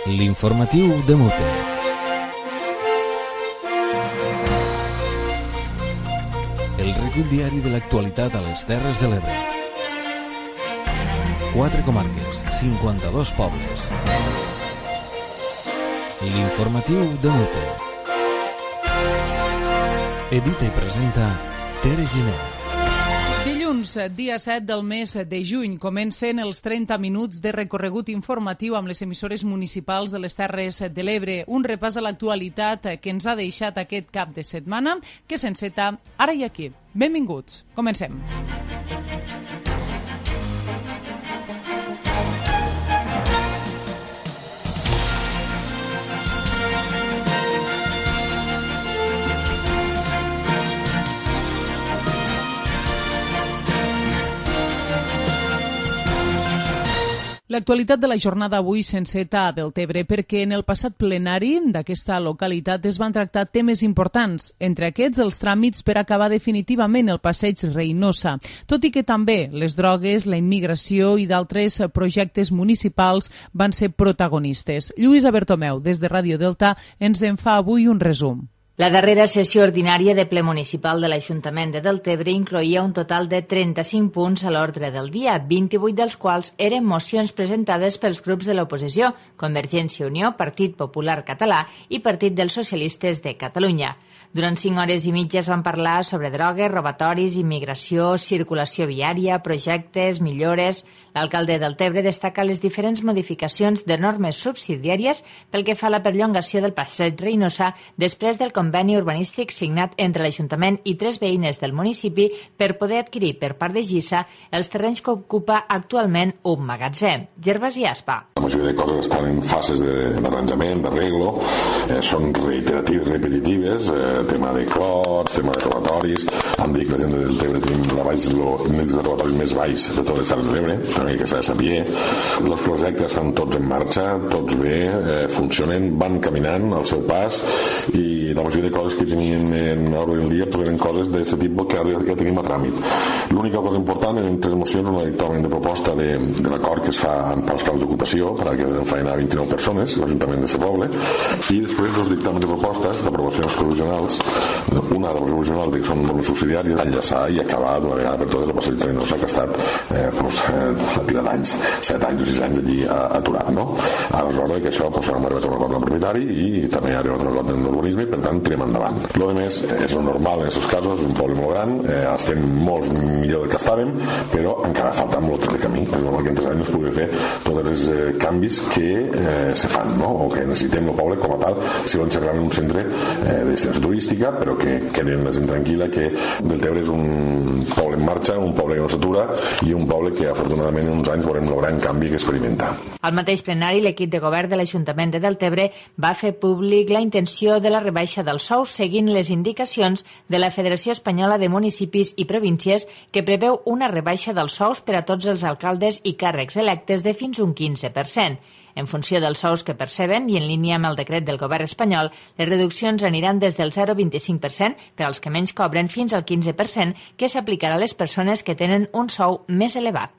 L'informatiu de Mute. El recull diari de l'actualitat a les Terres de l'Ebre. 4 comarques, 52 pobles. L'informatiu de Mute. Edita i presenta Tere Giner. Dilluns, dia 7 del mes de juny, comencen els 30 minuts de recorregut informatiu amb les emissores municipals de les Terres de l'Ebre. Un repàs a l'actualitat que ens ha deixat aquest cap de setmana, que s'enceta ara i aquí. Benvinguts, comencem. L'actualitat de la jornada avui s'enceta a Deltebre perquè en el passat plenari d'aquesta localitat es van tractar temes importants, entre aquests els tràmits per acabar definitivament el passeig Reinosa, tot i que també les drogues, la immigració i d'altres projectes municipals van ser protagonistes. Lluïsa Bertomeu, des de Ràdio Delta, ens en fa avui un resum. La darrera sessió ordinària de ple municipal de l'Ajuntament de Deltebre incloïa un total de 35 punts a l'ordre del dia, 28 dels quals eren mocions presentades pels grups de l'oposició, Convergència i Unió, Partit Popular Català i Partit dels Socialistes de Catalunya. Durant 5 hores i mitja es van parlar sobre drogues, robatoris, immigració, circulació viària, projectes, millores. L'alcalde de Deltebre destaca les diferents modificacions de normes subsidiàries pel que fa a la perllongació del passeig Reinosa després del conveni urbanístic signat entre l'Ajuntament i 3 veïnes del municipi per poder adquirir per part de Gissa els terrenys que ocupa actualment un magatzem. Gervasi Aspa. La majoria de coses estan en fases d'arranjament, d'arreglo, són reiteratives, repetitives, tema de clots, tema de robatoris. Em dic que la gent de Deltebre tenim l'índex de robatoris més baix de totes les Terres de l'Ebre, també que s'ha de saber. Els projectes estan tots en marxa, tots bé, funcionen, van caminant al seu pas i la majoria de coses que tenien en l'ordre del dia eren coses d'aquest tipus que ara ja tenim a tràmit. L'única cosa important eren 3 mocions, una dictamen de proposta de l'acord que es fa pels plans d'ocupació per a que donen feina a 29 persones, l'Ajuntament d'aquest poble, i després 2 dictàmens de propostes d'aprovacions provisionals, una de provisional que són normes subsidiàries, enllaçar i acabar d'una vegada per totes el passeig de Reinosa que ha estat a tirar d'anys, 7 anys o 6 anys allí aturat, no? Ara és l'hora que això hem arribat a un acord amb el propietari i també ha arribat a un acord amb l'urbanisme i per tant tirem endavant. Lo de més és lo normal en aquests casos, és un poble molt gran, estem molt millor del que estàvem, però encara falta molt de camí. És normal que en 3 anys no es pugui fer tots els canvis que se fan, no? O que necessitem el poble com a tal si volem ser realment un centre de destinació turística, però que quedi la gent tranquil·la que Deltebre és un poble en marxa, un poble que no s'atura i un poble que afortunadament en uns anys veurem el gran canvi que experimenta. Al mateix plenari, l'equip de govern de l'Ajuntament de Deltebre va fer públic la intenció de la rebaixa dels sous seguint les indicacions de la Federació Espanyola de Municipis i Províncies que preveu una rebaixa dels sous per a tots els alcaldes i càrrecs electes de fins un 15%. En funció dels sous que perceben i en línia amb el decret del govern espanyol, les reduccions aniran des del 0,25% per als que menys cobren fins al 15% que s'aplicarà a les persones que tenen un sou més elevat.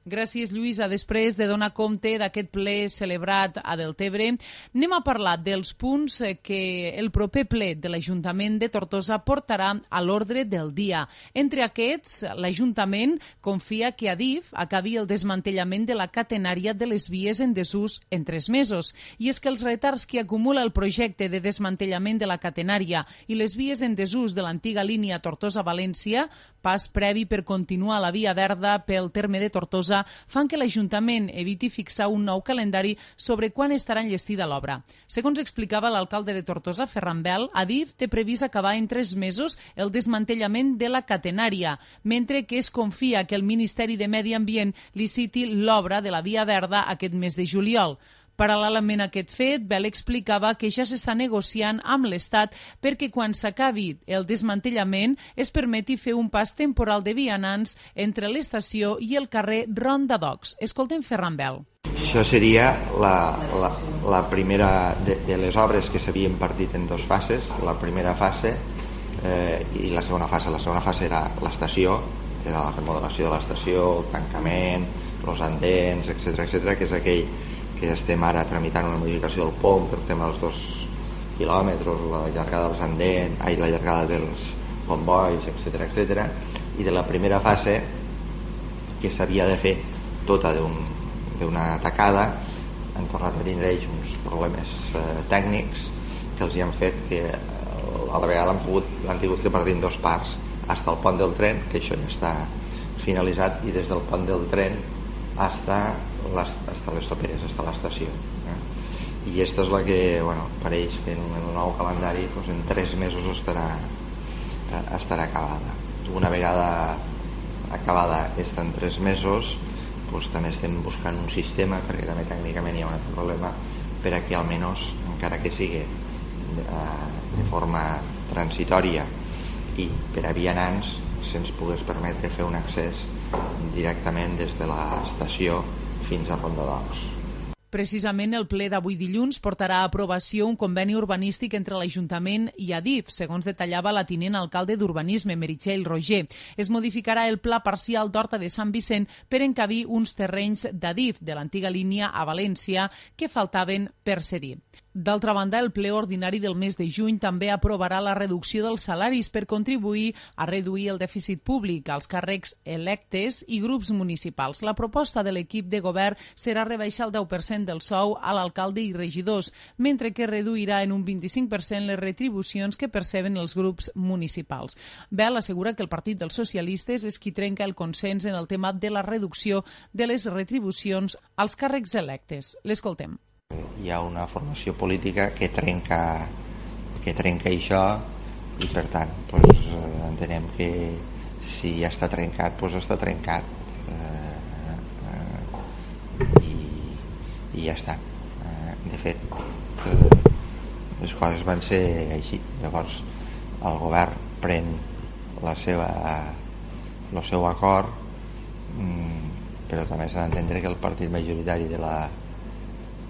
Gràcies, Lluïsa. Després de donar compte d'aquest ple celebrat a Deltebre, anem a parlar dels punts que el proper ple de l'Ajuntament de Tortosa portarà a l'ordre del dia. Entre aquests, l'Ajuntament confia que Adif acabi el desmantellament de la catenària de les vies en desús en 3 mesos. I és que els retards que acumula el projecte de desmantellament de la catenària i les vies en desús de l'antiga línia Tortosa-València, pas previ per continuar la via verda pel terme de Tortosa, fan que l'Ajuntament eviti fixar un nou calendari sobre quan estarà enllestida l'obra. Segons explicava l'alcalde de Tortosa, Ferran Bel, Adif té previst acabar en 3 mesos el desmantellament de la catenària, mentre que es confia que el Ministeri de Medi Ambient liciti l'obra de la via verda aquest mes de juliol. Paral·lelament a aquest fet, Bel explicava que ja s'està negociant amb l'Estat perquè quan s'acabi el desmantellament es permeti fer un pas temporal de vianants entre l'estació i el carrer Ronda d'Ocs. Escoltem Ferran Bel. Això seria la primera de les obres que s'havien partit en 2 fases. La primera fase i la segona fase. La segona fase era l'estació, era la remodelació de l'estació, el tancament, els andens, etc, que és aquell que estem ara tramitant una modificació del POM per tema dels 2 quilòmetres, la llargada dels andens, la llargada dels combois, etc. I de la primera fase, que s'havia de fer tota d'una tacada, han tornat a tindre ells uns problemes tècnics que els hi han fet que a la vegada l'han tingut que partir en 2 parts, fins al pont del tren, que això ja està finalitzat, i des del pont del tren fins les toperes, fins a l'estació. I aquesta és la que, pareix que en el nou calendari en 3 mesos estarà acabada. Una vegada acabada aquesta en 3 mesos, també estem buscant un sistema, perquè també tècnicament hi ha un altre problema, per a que almenys, encara que sigui de forma transitòria i per a vianants, se'ns pogués permetre fer un accés directament des de l'estació fins a Ronda d'Ocs. Precisament el ple d'avui dilluns portarà a aprovació un conveni urbanístic entre l'Ajuntament i Adif, segons detallava la tinent alcalde d'Urbanisme, Meritxell Roger. Es modificarà el pla parcial d'Horta de Sant Vicent per encabir uns terrenys d'Adif, de l'antiga línia a València, que faltaven per cedir. D'altra banda, el ple ordinari del mes de juny també aprovarà la reducció dels salaris per contribuir a reduir el dèficit públic als càrrecs electes i grups municipals. La proposta de l'equip de govern serà rebaixar el 10% del sou a l'alcalde i regidors, mentre que reduirà en un 25% les retribucions que perceben els grups municipals. Bel assegura que el Partit dels Socialistes és qui trenca el consens en el tema de la reducció de les retribucions als càrrecs electes. L'escoltem. Hi ha una formació política que trenca això i per tant entenem que si ja està trencat, està trencat i ja està. De fet, les coses van ser així. Llavors el govern pren el seu acord, però també s'ha d'entendre que el partit majoritari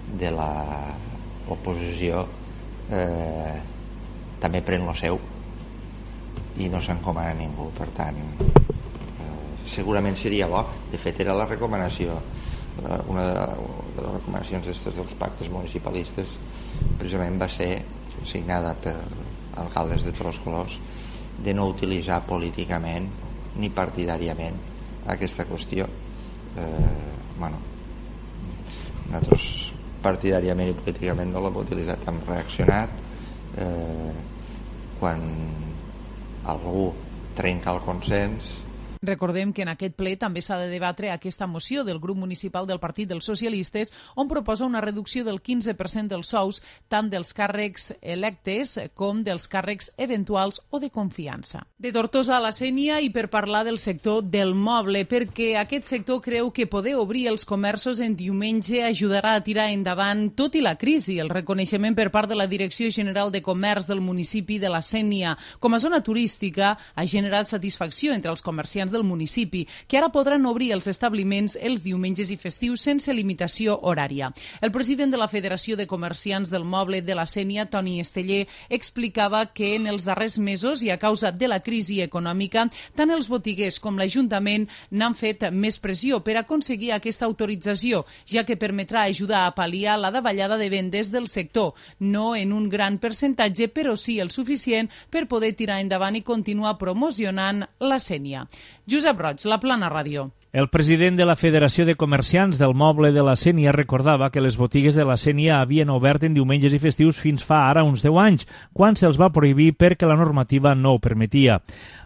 de l'oposició també pren el seu i no s'encomana a ningú. Per tant, segurament seria bo. De fet, era la recomanació, una de les recomanacions dels pactes municipalistes precisament va ser signada per alcaldes de tots els colors, de no utilitzar políticament ni partidàriament aquesta qüestió. Nosaltres partidàriament i políticament no l'hem utilitzat, hem reaccionat quan algú trenca el consens. Recordem que en aquest ple també s'ha de debatre aquesta moció del grup municipal del Partit dels Socialistes, on proposa una reducció del 15% dels sous tant dels càrrecs electes com dels càrrecs eventuals o de confiança. De Tortosa a la Sénia, i per parlar del sector del moble, perquè aquest sector creu que poder obrir els comerços en diumenge ajudarà a tirar endavant tot i la crisi. El reconeixement per part de la Direcció General de Comerç del municipi de la Sénia com a zona turística ha generat satisfacció entre els comerciants del municipi, que ara podran obrir els establiments els diumenges i festius sense limitació horària. El president de la Federació de Comerciants del Moble de la Sénia, Toni Esteller, explicava que en els darrers mesos i a causa de la crisi econòmica, tant els botiguers com l'Ajuntament n'han fet més pressió per aconseguir aquesta autorització, ja que permetrà ajudar a pal·liar la davallada de vendes del sector, no en un gran percentatge, però sí el suficient per poder tirar endavant i continuar promocionant la Sénia. Josep Roig, La Plana Ràdio. El president de la Federació de Comerciants del Moble de la Sénia recordava que les botigues de la Sénia havien obert en diumenges i festius fins fa ara uns 10 anys, quan se'ls va prohibir perquè la normativa no ho permetia.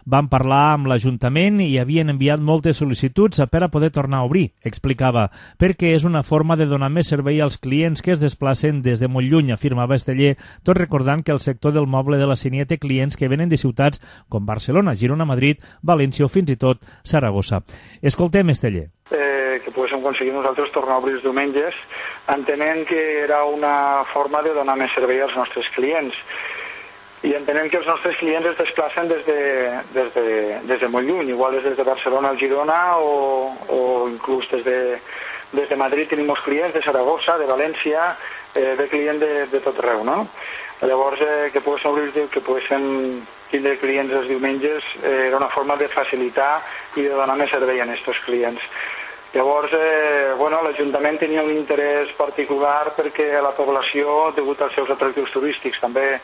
Van parlar amb l'Ajuntament i havien enviat moltes sol·licituds per a poder tornar a obrir, explicava, perquè és una forma de donar més servei als clients que es desplacen des de molt lluny, afirmava Esteller, tot recordant que el sector del moble de la Sénia té clients que venen de ciutats com Barcelona, Girona, Madrid, València o fins i tot Saragossa. Escoltem Esteller. Que poguéssim aconseguir nosaltres tornar a obrir els diumenges, entenent que era una forma de donar més servei als nostres clients. I entenem que els nostres clients es desplacen des de molt lluny, igual des de Barcelona al Girona o inclús des de Madrid tenim molts clients, de Saragossa, de València, de clients de tot arreu, no? Llavors, que poguessin tindre clients els diumenges era una forma de facilitar i de donar més servei a aquests clients. Llavors, l'Ajuntament tenia un interès particular perquè la població, degut als seus atractius turístics, també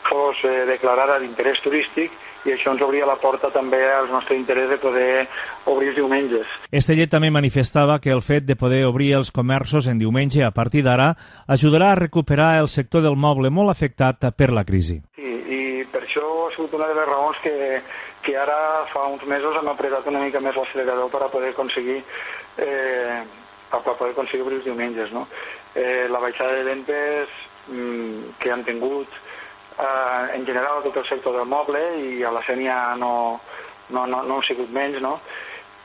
fos declarada d'interès turístic, i això ens obria la porta també al nostre interès de poder obrir els diumenges. Estellet també manifestava que el fet de poder obrir els comerços en diumenge a partir d'ara ajudarà a recuperar el sector del moble molt afectat per la crisi. Sí, i per això ha sigut una de les raons que ara fa uns mesos hem apretat una mica més l'accelerador per a poder aconseguir obrir els diumenges. No? La baixada de ventes que han tingut en general a tot el sector del moble i a la Sénia no ha sigut menys, no?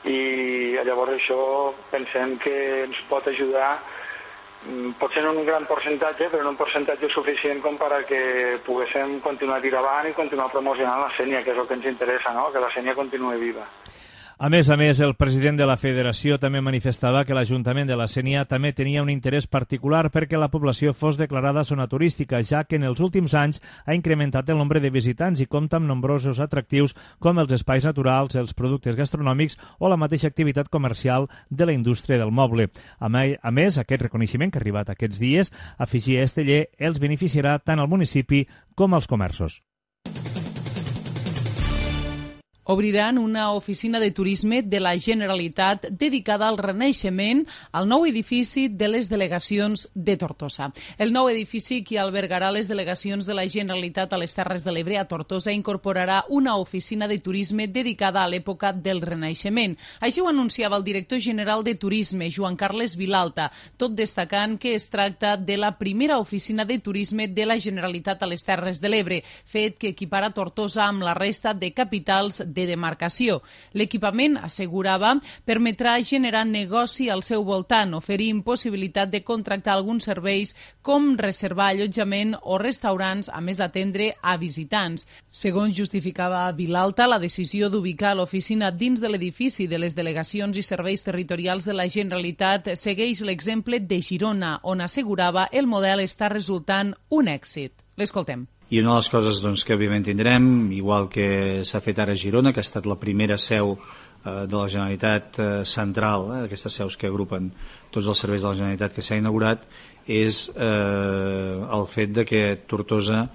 I llavors això pensem que ens pot ajudar, potser en un gran percentatge, però en un percentatge suficient com per a que poguéssim continuar a tirar avant i continuar promocionant la Sénia, que és el que ens interessa, no? Que la Sénia continuï viva. A més, el president de la federació també manifestava que l'Ajuntament de la Sénia també tenia un interès particular perquè la població fos declarada zona turística, ja que en els últims anys ha incrementat el nombre de visitants i compta amb nombrosos atractius com els espais naturals, els productes gastronòmics o la mateixa activitat comercial de la indústria del moble. A més, aquest reconeixement que ha arribat aquests dies, afegia Esteller, els beneficiarà tant al municipi com als comerços. Obriran una oficina de turisme de la Generalitat dedicada al renaixement al nou edifici de les delegacions de Tortosa. El nou edifici que albergarà les delegacions de la Generalitat a les Terres de l'Ebre a Tortosa incorporarà una oficina de turisme dedicada a l'època del renaixement. Així ho anunciava el director general de Turisme, Joan Carles Vilalta, tot destacant que es tracta de la primera oficina de turisme de la Generalitat a les Terres de l'Ebre, fet que equipara Tortosa amb la resta de capitals de demarcació. L'equipament, assegurava, permetrà generar negoci al seu voltant, oferint possibilitat de contractar alguns serveis com reservar allotjament o restaurants, a més d'atendre a visitants. Segons justificava Vilalta, la decisió d'ubicar l'oficina dins de l'edifici de les delegacions i serveis territorials de la Generalitat segueix l'exemple de Girona, on assegurava el model està resultant un èxit. L'escoltem. I una de les coses que òbviament tindrem, igual que s'ha fet ara a Girona, que ha estat la primera seu de la Generalitat central, aquestes seus que agrupen tots els serveis de la Generalitat que s'ha inaugurat, és el fet de que Tortosa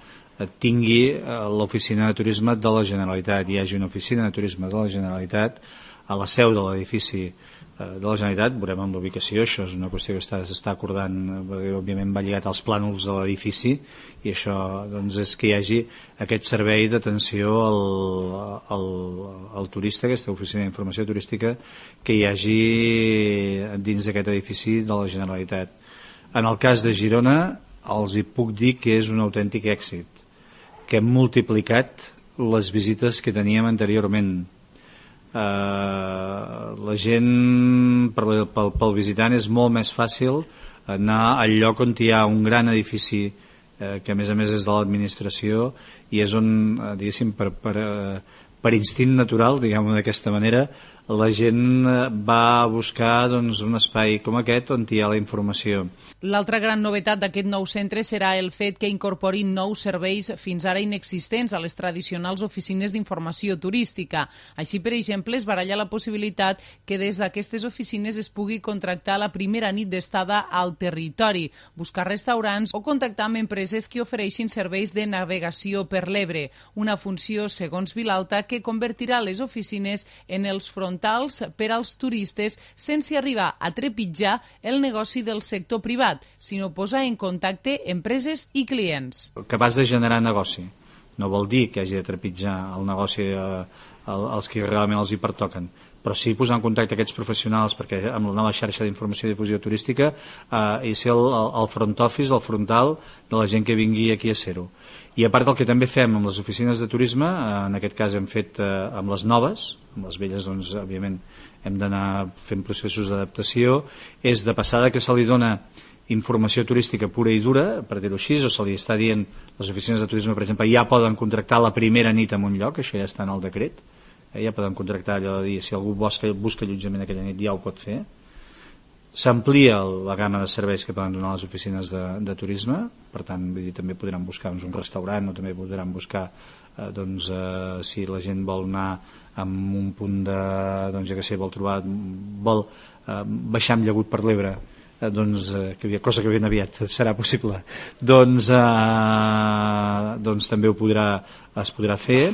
tingui l'oficina de turisme de la Generalitat. Hi hagi una oficina de turisme de la Generalitat a la seu de l'edifici de la Generalitat. Veurem amb l'ubicació, això és una qüestió que s'està acordant, perquè òbviament va lligat als plànols de l'edifici, i això és que hi hagi aquest servei d'atenció al turista, aquesta oficina d'informació turística que hi hagi dins d'aquest edifici de la Generalitat. En el cas de Girona els hi puc dir que és un autèntic èxit, que hem multiplicat les visites que teníem anteriorment. La gent, pel visitant és molt més fàcil anar al lloc on hi ha un gran edifici que a més és de l'administració i és on, diguéssim, per instint natural, diguem-ho d'aquesta manera, la gent va a buscar un espai com aquest on hi ha la informació. L'altra gran novetat d'aquest nou centre serà el fet que incorporin nous serveis fins ara inexistents a les tradicionals oficines d'informació turística. Així, per exemple, es baralla la possibilitat que des d'aquestes oficines es pugui contractar la primera nit d'estada al territori, buscar restaurants o contactar amb empreses que ofereixin serveis de navegació per l'Ebre, una funció, segons Vilalta, que convertirà les oficines en els frontals per als turistes sense arribar a trepitjar el negoci del sector privat, sinó posar en contacte empreses i clients. Capaç de generar negoci. No vol dir que hagi de trepitjar el negoci als que realment els hi pertoquen, però sí posar en contacte aquests professionals, perquè amb la nova xarxa d'informació i difusió turística i ser el front office, el frontal de la gent que vingui aquí a ser-ho. I a part del que també fem amb les oficines de turisme, en aquest cas hem fet amb les noves, amb les velles òbviament hem d'anar fent processos d'adaptació, és de passada que se li dona informació turística pura i dura, per dir-ho així, o se li està dient, les oficines de turisme, per exemple, ja poden contractar la primera nit en un lloc, això ja està en el decret, ja poden contractar allò de dir, si algú busca allotjament aquella nit ja ho pot fer, S'amplia la gamma de serveis que poden donar les oficines de turisme, per tant, vull dir, també podran buscar un restaurant o també podran buscar si la gent vol anar amb un punt de, ja que sé, vol baixar amb llagut per l'Ebre, cosa que ben aviat serà possible, també es podrà fer.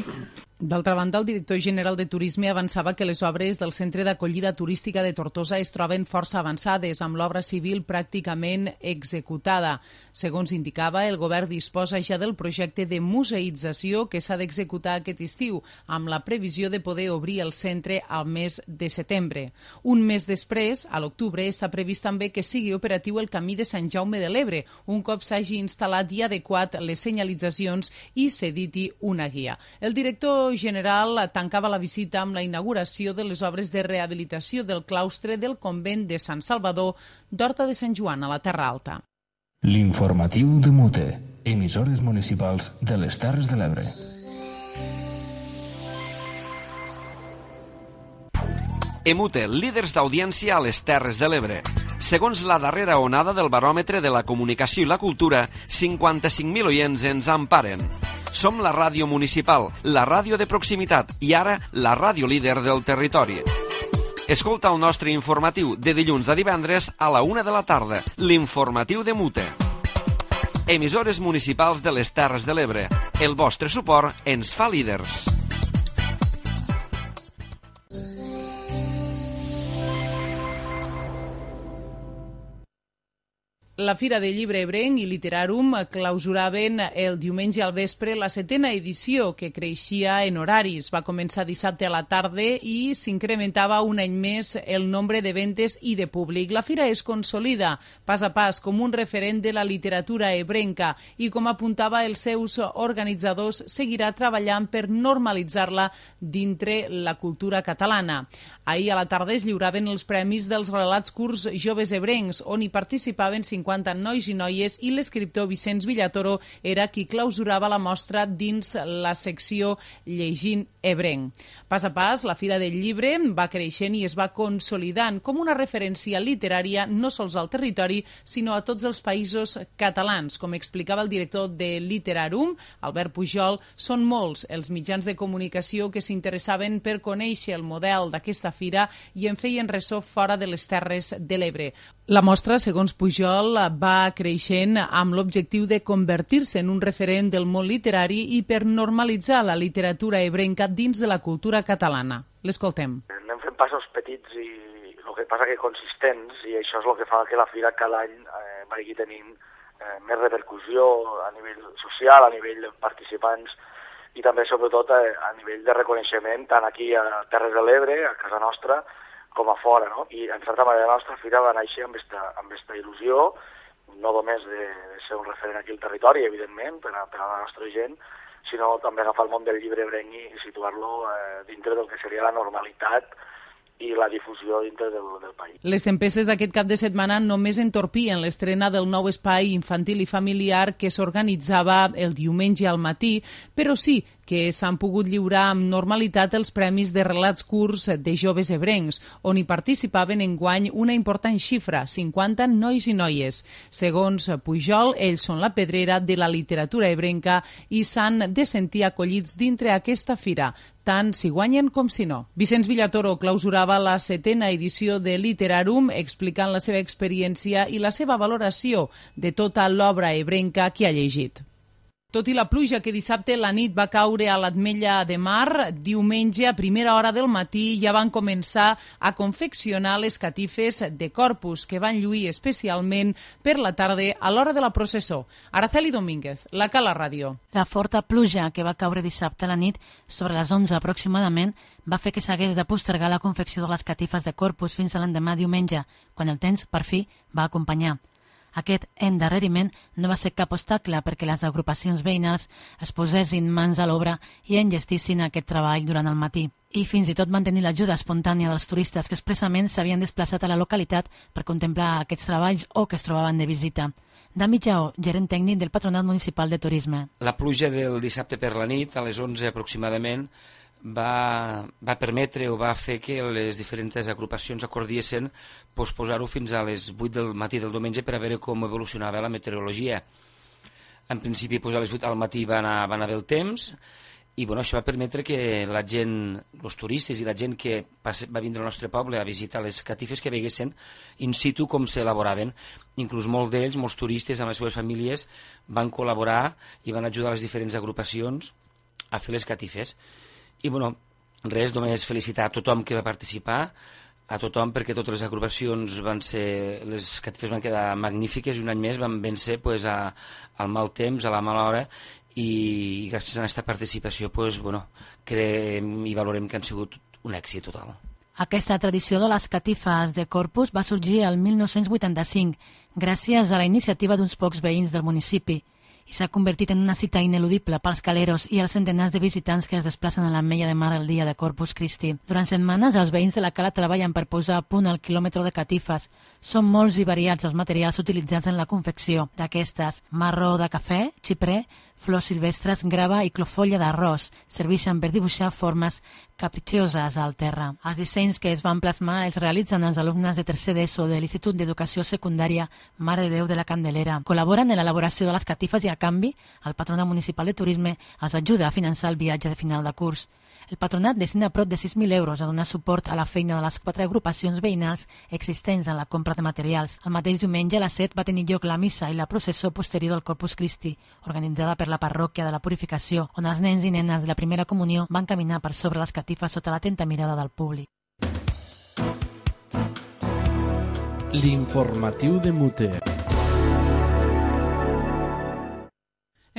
D'altra banda, el director general de Turisme avançava que les obres del Centre d'Acollida Turística de Tortosa es troben força avançades, amb l'obra civil pràcticament executada. Segons indicava, el govern disposa ja del projecte de museïtzació que s'ha d'executar aquest estiu, amb la previsió de poder obrir el centre al mes de setembre. Un mes després, a l'octubre, està previst també que sigui operatiu el camí de Sant Jaume de l'Ebre, un cop s'hagi instal·lat i adequat les senyalitzacions i s'editi una guia. El director general tancava la visita amb la inauguració de les obres de rehabilitació del claustre del convent de Sant Salvador d'Horta de Sant Joan, a la Terra Alta. L'informatiu de Mute, emissores municipals de les Terres de l'Ebre. Emute, líders d'audiència a les Terres de l'Ebre. Segons la darrera onada del baròmetre de la comunicació i la cultura, 55.000 oients ens emparen. Som la ràdio municipal, la ràdio de proximitat i ara la ràdio líder del territori. Escolta el nostre informatiu de dilluns a divendres a la 1 de la tarda, l'informatiu de Mute. Emissores municipals de les Terres de l'Ebre. El vostre suport ens fa líders. La Fira del Llibre Ebrenc i Literarum clausuraven el diumenge al vespre la 7a edició, que creixia en horaris. Va començar dissabte a la tarda i s'incrementava un any més el nombre de ventes i de públic. La fira es consolida pas a pas com un referent de la literatura ebrenca i, com apuntava els seus organitzadors, seguirà treballant per normalitzar-la dintre la cultura catalana. Ahir a la tarda es lliuraven els premis dels relats curts joves ebrencs, on hi participaven 50 nois i noies, i l'escriptor Vicenç Villatoro era qui clausurava la mostra dins la secció Llegint ebrenc. Pas a pas, la Fira del Llibre va creixent i es va consolidant com una referència literària no sols al territori, sinó a tots els països catalans. Com explicava el director de Literarum, Albert Pujol, són molts els mitjans de comunicació que s'interessaven per conèixer el model d'aquesta fira i en feien ressò fora de les Terres de l'Ebre. La mostra, segons Pujol, va creixent amb l'objectiu de convertir-se en un referent del món literari i per normalitzar la literatura ebrenca dins de la cultura catalana. L'escoltem. Anem fent passos petits i el que passa que consistents, i això és el que fa que la fira cada any vagi tenint més repercussió a nivell social, a nivell de participants i també, sobretot, a nivell de reconeixement, tant aquí a Terres de l'Ebre, a casa nostra, com a fora, no? I, en certa manera, la nostra fira va néixer amb esta il·lusió, no només de ser un referent aquí al territori, evidentment, per a la nostra gent, sinó també agafar el món del llibre ebrenc i situar-lo dintre del que seria la normalitat i la difusió dintre del país. Les tempestes d'aquest cap de setmana només entorpien l'estrena del nou espai infantil i familiar que s'organitzava el diumenge al matí, però sí que s'han pogut lliurar amb normalitat els premis de relats curts de joves ebrencs, on hi participaven enguany una important xifra, 50 nois i noies. Segons Pujol, ells són la pedrera de la literatura ebrenca i s'han de sentir acollits dintre aquesta fira, tant si guanyen com si no. Vicenç Villatoro clausurava la 7a edició de Literarum explicant la seva experiència i la seva valoració de tota l'obra ebrenca que ha llegit. Tot i la pluja que dissabte la nit va caure a l'Ametlla de Mar, diumenge a primera hora del matí ja van començar a confeccionar les catifes de Corpus, que van lluir especialment per la tarda a l'hora de la processó. Araceli Domínguez, la Cala Ràdio. La forta pluja que va caure dissabte a la nit, sobre les 11 aproximadament, va fer que s'hagués de postergar la confecció de les catifes de Corpus fins a l'endemà diumenge, quan el temps, per fi, va acompanyar. Aquest endarreriment no va ser cap obstacle perquè les agrupacions veïnals es posessin mans a l'obra i enllestissin aquest treball durant el matí. I fins i tot van tenir l'ajuda espontània dels turistes que expressament s'havien desplaçat a la localitat per contemplar aquests treballs o que es trobaven de visita. Dami Jaó, gerent tècnic del Patronat Municipal de Turisme. La pluja del dissabte per la nit, a les 11 aproximadament, va permetre o va fer que les diferents agrupacions acordiessin posposar-ho fins a les 8 del matí del diumenge per a veure com evolucionava la meteorologia. En principi, a les 8 al matí va anar bé el temps, i això va permetre que la gent, els turistes i la gent que va vindre al nostre poble a visitar les catifes, que veguessin in situ com s'elaboraven. Inclús molts d'ells, molts turistes amb les seves famílies, van col·laborar i van ajudar les diferents agrupacions a fer les catifes. I res, només felicitar a tothom que va participar, a tothom, perquè totes les agrupacions les catifes van quedar magnífiques i un any més van vèncer al mal temps, a la mala hora, i gràcies a aquesta participació creiem i valorem que han sigut un èxit total. Aquesta tradició de les catifes de Corpus va sorgir el 1985 gràcies a la iniciativa d'uns pocs veïns del municipi i s'ha convertit en una cita ineludible pels caleros i els centenars de visitants que es desplacen a l'Ametlla de Mar el dia de Corpus Christi. Durant setmanes, els veïns de la cala treballen per posar a punt el quilòmetre de catifes. Són molts i variats els materials utilitzats en la confecció d'aquestes: marró de cafè, xiprer, flors silvestres, grava i clofolla d'arròs. Serveixen per dibuixar formes capcioses al terra. Els dissenys que es van plasmar els realitzen els alumnes de tercer d'ESO de l'Institut d'Educació Secundària Mare de Déu de la Candelera. Col·laboren en l'elaboració de les catifes i, a canvi, el Patronat Municipal de Turisme els ajuda a finançar el viatge de final de curs. El patronat destina prop de 6.000 euros a donar suport a la feina de les 4 agrupacions veïnals existents en la compra de materials. El mateix diumenge a les 7 va tenir lloc la missa i la processó posterior del Corpus Christi, organitzada per la parròquia de la Purificació, on els nens i nenes de la primera comunió van caminar per sobre les catifes sota l'atenta mirada del públic. L'informatiu de Muter.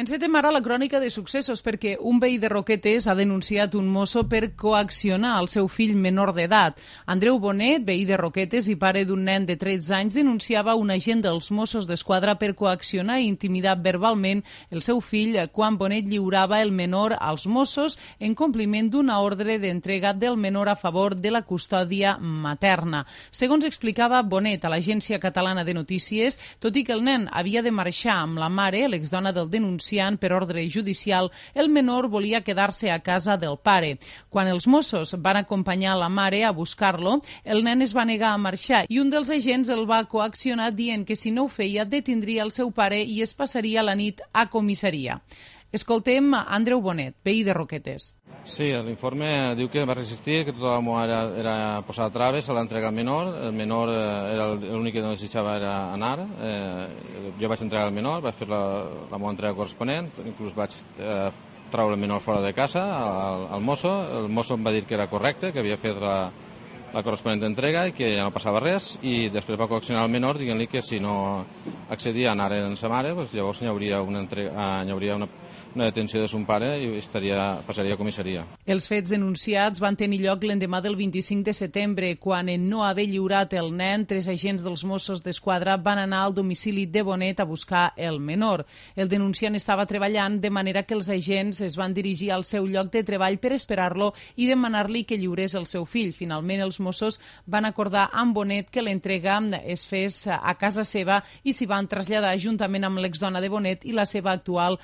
Encetem ara la crònica de successos perquè un veí de Roquetes ha denunciat un mosso per coaccionar el seu fill menor d'edat. Andreu Bonet, veí de Roquetes i pare d'un nen de 13 anys, denunciava un agent dels Mossos d'Esquadra per coaccionar i intimidar verbalment el seu fill quan Bonet lliurava el menor als Mossos en compliment d'una ordre d'entrega del menor a favor de la custòdia materna. Segons explicava Bonet a l'Agència Catalana de Notícies, tot i que el nen havia de marxar amb la mare, l'exdona del denunciant, per ordre judicial, el menor volia quedar-se a casa del pare. Quan els Mossos van acompanyar la mare a buscar-lo, el nen es va negar a marxar i un dels agents el va coaccionar dient que si no ho feia detindria el seu pare i es passaria la nit a comissaria. Escoltem Andreu Bonet, veí de Roquetes. Sí, l'informe diu que va resistir, que tota la meva era posar traves a l'entrega al menor. El menor era l'únic que no desitjava era anar. Jo vaig entregar el menor, vaig fer la meva entrega corresponent, inclús vaig treure el menor fora de casa al mosso. El mosso em va dir que era correcte, que havia fet la corresponent entrega i que ja no passava res, i després va coaccionar el menor dient-li que si no accedia a anar amb sa mare, llavors hi hauria una detenció de son pare i passaria a comissaria. Els fets denunciats van tenir lloc l'endemà del 25 de setembre, quan en no haver lliurat el nen, 3 agents dels Mossos d'Esquadra van anar al domicili de Bonet a buscar el menor. El denunciant estava treballant, de manera que els agents es van dirigir al seu lloc de treball per esperar-lo i demanar-li que lliurés el seu fill. Finalment, els Mossos van acordar amb Bonet que l'entrega es fes a casa seva i s'hi van traslladar juntament amb l'exdona de Bonet i la seva actual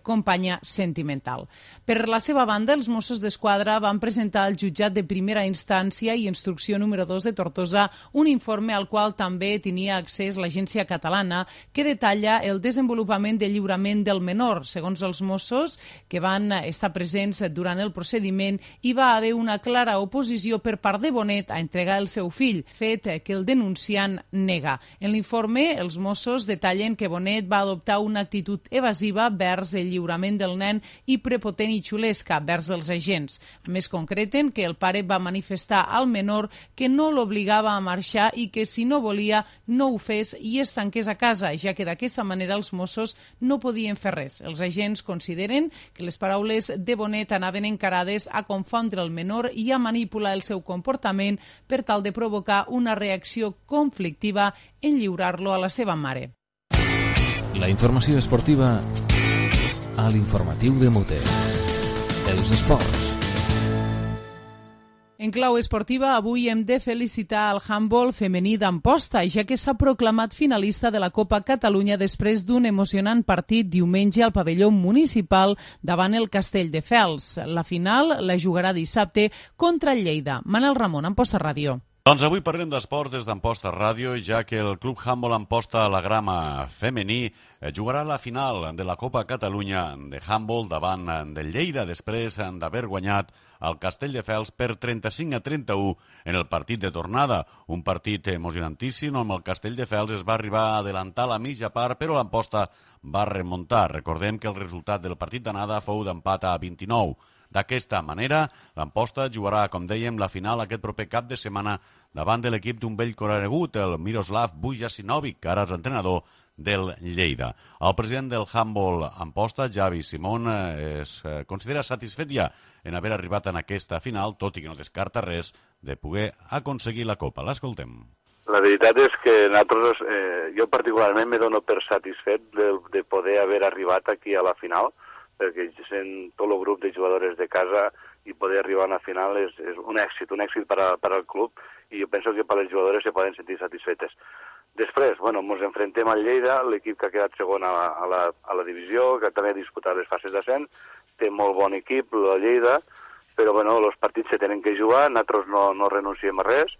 companya sentimental. Per la seva banda, els Mossos d'Esquadra van presentar al jutjat de primera instància i instrucció número 2 de Tortosa un informe al qual també tenia accés l'Agència Catalana que detalla el desenvolupament de lliurament del menor. Segons els Mossos, que van estar presents durant el procediment, hi va haver una clara oposició per part de Bonet a entregar el seu fill, fet que el denunciant nega. En l'informe, els Mossos detallen que Bonet va adoptar una actitud evasiva vers el lliurament del nen i prepotent i xulesca vers els agents. A més, concreten que el pare va manifestar al menor que no l'obligava a marxar i que si no volia no ho fes i es tanqués a casa, ja que d'aquesta manera els Mossos no podien fer res. Els agents consideren que les paraules de Bonet anaven encarades a confondre el menor i a manipular el seu comportament per tal de provocar una reacció conflictiva en lliurar-lo a la seva mare. La informació esportiva a l'informatiu de Muter. Els esports. En clau esportiva, avui hem de felicitar el handbol femení d'Amposta, ja que s'ha proclamat finalista de la Copa Catalunya després d'un emocionant partit diumenge al pavelló municipal davant el Castelldefels. La final la jugarà dissabte contra el Lleida. Manel Ramon, Amposta Ràdio. Doncs avui parlem d'esports des d'Amposta Ràdio, ja que el Club Handbol Amposta La Grama femení jugarà la final de la Copa Catalunya de handbol davant del Lleida després d'haver guanyat el Castelldefels per 35-31 en el partit de tornada. Un partit emocionantíssim on el Castelldefels es va arribar a adelantar la mitja part, però l'Amposta va remuntar. Recordem que el resultat del partit d'anada fou d'empat a 29. D'aquesta manera, l'Amposta jugarà, com dèiem, la final aquest proper cap de setmana davant de l'equip d'un vell conegut, el Miroslav Vujasinovic, que ara és entrenador del Lleida. El president del handbol Amposta, Javi Simón, es considera satisfet ja en haver arribat en aquesta final, tot i que no descarta res de poder aconseguir la Copa. L'escoltem. La veritat és que nosaltres, jo particularment me dono per satisfet de poder haver arribat aquí a la final, perquè sent tot el grup de jugadores de casa i poder arribar a una final és un èxit per al club, i jo penso que per les jugadores se poden sentir satisfetes. Després, ens enfrontem al Lleida, l'equip que ha quedat segon a la divisió, que també ha disputat les fases d'ascens, té molt bon equip, la Lleida, però els partits se tenen que jugar, nosaltres no renunciem a res,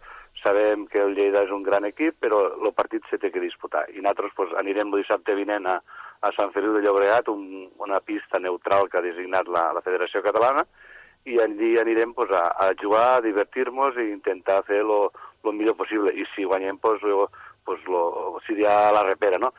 sabem que el Lleida és un gran equip, però el partit se té que disputar, i nosaltres anirem el dissabte vinent a Sant Feliu de Llobregat, una pista neutral que ha designat la Federació Catalana, i allí anirem a jugar, a divertir-nos i intentar fer el millor possible. I si guanyem, seria la repera, no?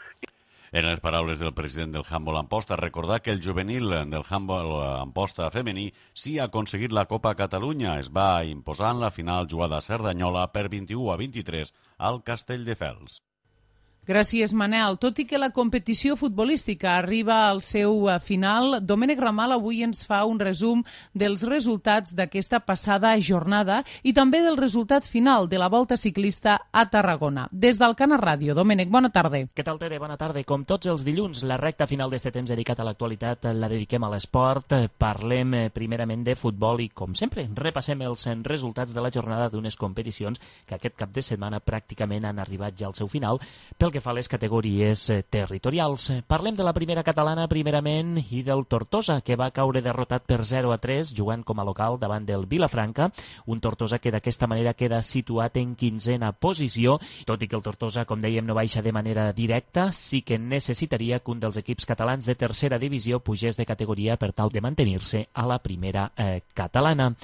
En les paraules del president del handbol Amposta, recordar que el juvenil del handbol Amposta femení sí ha aconseguit la Copa Catalunya. Es va imposar en la final jugada a Cerdanyola per 21-23 al Castelldefels. Gràcies, Manel. Tot i que la competició futbolística arriba al seu final, Domènec Ramal avui ens fa un resum dels resultats d'aquesta passada jornada i també del resultat final de la Volta Ciclista a Tarragona. Des del Cana Ràdio. Domènec, bona tarda. Què tal, Tere? Bona tarda. Com tots els dilluns, la recta final d'este temps dedicat a l'actualitat la dediquem a l'esport. Parlem primerament de futbol i, com sempre, repassem els resultats de la jornada d'unes competicions que aquest cap de setmana pràcticament han arribat ja al seu final, pel que fa a les categories territorials. Parlem de la primera catalana primerament i del Tortosa, que va caure derrotat per 0-3 jugant com a local davant del Vilafranca, un Tortosa que d'aquesta manera queda situat en 15a posició, tot i que el Tortosa, com dèiem, no baixa de manera directa, sí que necessitaria que un dels equips catalans de tercera divisió pugés de categoria per tal de mantenir-se a la primera catalana.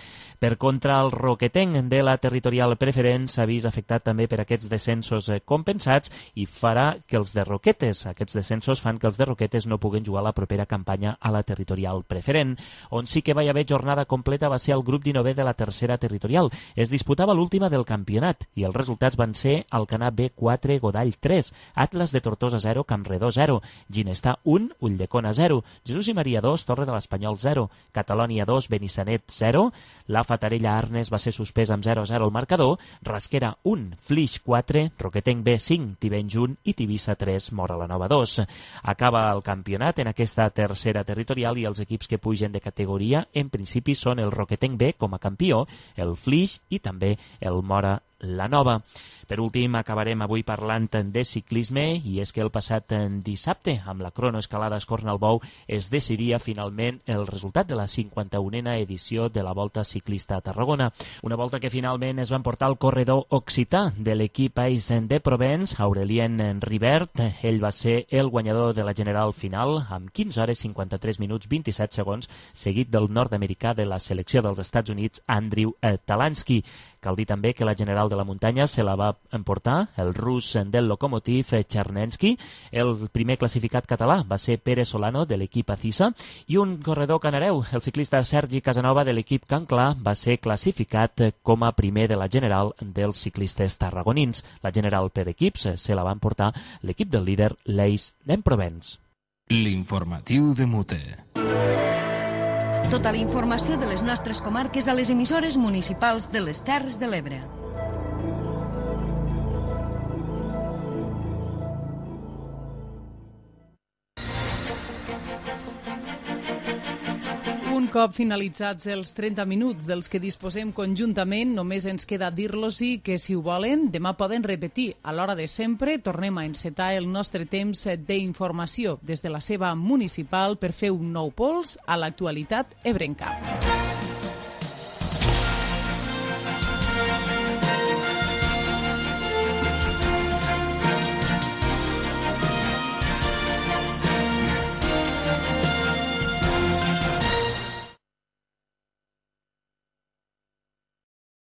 Per contra, el Roquetenc de la territorial preferent s'ha vist afectat també per aquests descensos compensats i farà que els de Roquetes, aquests descensos fan que els de Roquetes no puguen jugar la propera campanya a la territorial preferent. On sí que va haver jornada completa va ser el grup 19 de la tercera territorial. Es disputava l'última del campionat i els resultats van ser Alcanar B 4, Godall 3, Atlas de Tortosa 0, Campredó 0, Ginestà 1, Ulldecona 0, Jesús i Maria 2, Torre de l'Espanyol 0, Catalònia 2, Benissanet 0, la Fatarella Arnes va ser suspès amb 0-0 al marcador, Rasquera 1, Flix 4, Roquetenc B 5, Tivenys 1 i Tivissa 3, Móra la Nova 2. Acaba el campionat en aquesta tercera territorial i els equips que pugen de categoria en principi són el Roquetenc B com a campió, el Flix i també el Móra la Nova. Per últim, acabarem avui parlant de ciclisme i és que el passat dissabte, amb la cronoescalada Escornalbou, es decidia finalment el resultat de la 51a edició de la Volta Ciclista a Tarragona. Una volta que finalment es va emportar el corredor occità de l'equip Ais de Provence, Aurelien Ribert. Ell va ser el guanyador de la general final amb 15 hores 53 minuts 27 segons, seguit del nord-americà de la selecció dels Estats Units, Andrew Talansky. Cal dir també que la general de la muntanya se la va emportar el rus del Lokomotiv Chernensky. El primer classificat català va ser Pere Solano de l'equip Acisa i un corredor canareu, el ciclista Sergi Casanova de l'equip Can Clar, va ser classificat com a primer de la general dels ciclistes tarragonins. La general per equips se la va emportar l'equip del líder l'Eis d'Emprovence. L'informatiu de Mute. Tota la informació de les nostres comarques a les emissores municipals de les Terres de l'Ebre. cop finalitzats els 30 minuts dels que disposem conjuntament, només ens queda dir-los-hi que, si ho volen, demà poden repetir. A l'hora de sempre tornem a encetar el nostre temps d'informació des de la seva municipal per fer un nou pols a l'actualitat ebrenca.